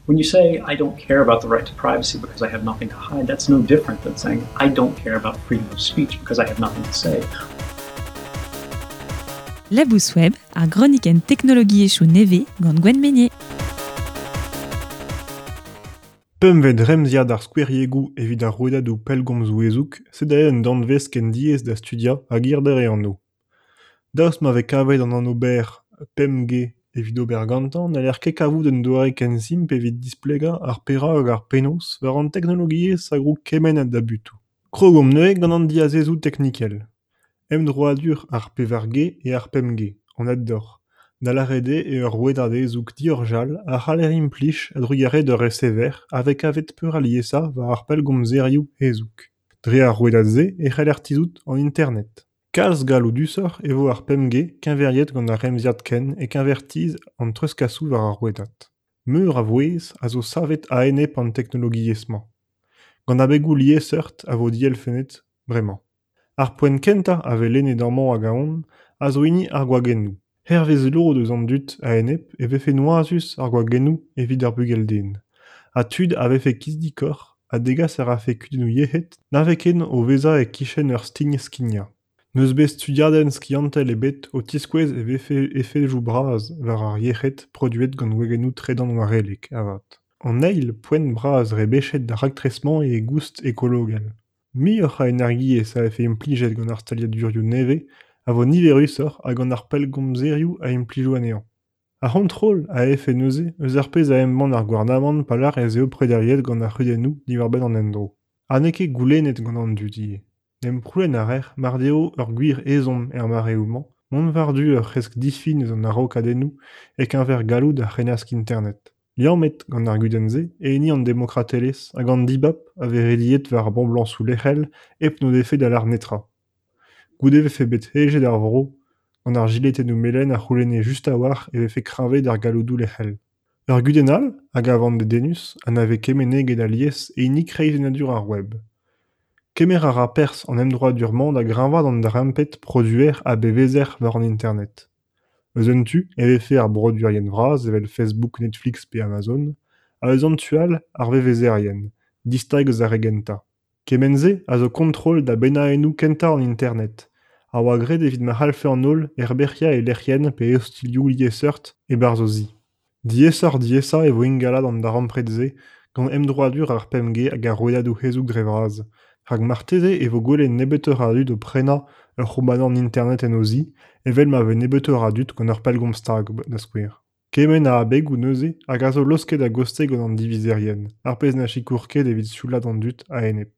When you say, I don't care about the right to privacy because I have nothing to hide, that's no different than saying, I don't care about freedom of speech because I have nothing to say. Labous Web, ar gronikenn teknologiezhioù nevez gant Gwenn Meynier. Pempvet remziad ar skoueriegoù evit ar rouedadoù pellgomzoù hezoug, sed aze un danvez ken diaes da studiañ hag hirder e anv. Daoust ma vez kavet an anv berr 5G evit ober gantañ n'haller ket kavout un doare ken simpl evit displegañ ar perak hag ar penaos war an teknologiezh a grou kement a dabutoù. Krogomp neuze gant an diazezoù teknikel. Emdroadur ar 4G eo ar 5G, anat deoc'h, da lâret eo eo ur rouedad hezoug diorjal a c'haller implij a-drugarez d'ur resever a vez kavet peurliesañ war ar pellgomzerioù hezoug. Dre ar rouedad-se e c'haller tizhout an Internet. Kalz galloudusoc'h e vo ar 5G keñveriet gant ar remziad kent e-keñver tizh an treuzkasoù war ar rouedad. Meur a vouezh a zo savet a-enep an teknologiezh-mañ. Gant abegoù liesseurt a vo dielfennet bremañ. Ar poent kentañ a vez lennet amañ hag ahont a zo hini ar gwagennoù. Hervez lod eus an dud a-enep e vefe noazus ar gwagennoù evit ar bugel-den. Ha tud a vefe kizidikoc'h ha degas a rafe kudennoù yec'hed na ve ken o vezañ e-kichen ur stign-skignañ. N'eus bet studiadenn skiantel ebet o tiskouez e vefe efedoù bras war ar yec'hed produet gant gwagennoù tredanwarellek avat. An eil poent bras rebechet d'ar raktres-mañ eo e goust ekologel. Muioc'h a energiezh a vefe implijet gant ar staliadurioù nevez a vo niverusoc'h ha gant ar pellgomzerioù a implijo anezhañ. Ar c'hontrol a vefe neuze eus ar pezh a embann ar gouarnamant pa lâr ez eo prederiet gant ar c'hudennoù diwar-benn an endro. Ha n'eo ket goulennet gant an dud ivez. En em c'houlenn a raer mar deo ur gwir ezhomm er mareoù-mañ mont war-du ur c'hresk difin eus an araokadennoù e-keñver galloud ar c'hennask Internet. Liammet gant ar gudenn-se eo hini an demokratelezh hag an dibab a vez rediet war ar boblañsoù lec'hel hep n'o defe da lâr netra. Goude e vefe bet hejet ar vro gant ar jiletennoù melen a c'houlenne just a-walc'h e vefe kreñvaet ar galloudoù lec'hel. Ur gudenn all a gavan dedennus ha na vez ket meneget alies eo hini kreizennadur ar web. Kemer a ra perzh an emdroadur-mañ da greñvaat an darempred produer ha bevezer war an Internet. Eus un tu e vefe ar broduerien vras evel Facebook, Netflix pe Amazon, ha eus an tu all ar vevezerien, distag eus ar re gentañ. Kement-se a zo kontrol da bennaennoù kentañ an Internet, a oa graet evit ma c'hallfe an holl herberc'hiañ e lec'hienn pe ostilhoù liesseurt e-barzh o zi. Diaesoc'h-diaesañ e vo ingalaat an darempred-se gant emdroadur ar 5G hag ar rouedadoù hezoug dre vras, rak marteze e vo gwelet nebeutoc'h a dud o prenañ ur c'houmanant Internet en o zi, evel ma vez nebeutoc'h a dud gant ur pellgomz stag, da skouer. Kement a abegoù neuze hag a zo laosket a-gostez gant an divizerien, ar pezh na sikour ket evit sioulaat an dud a-enep.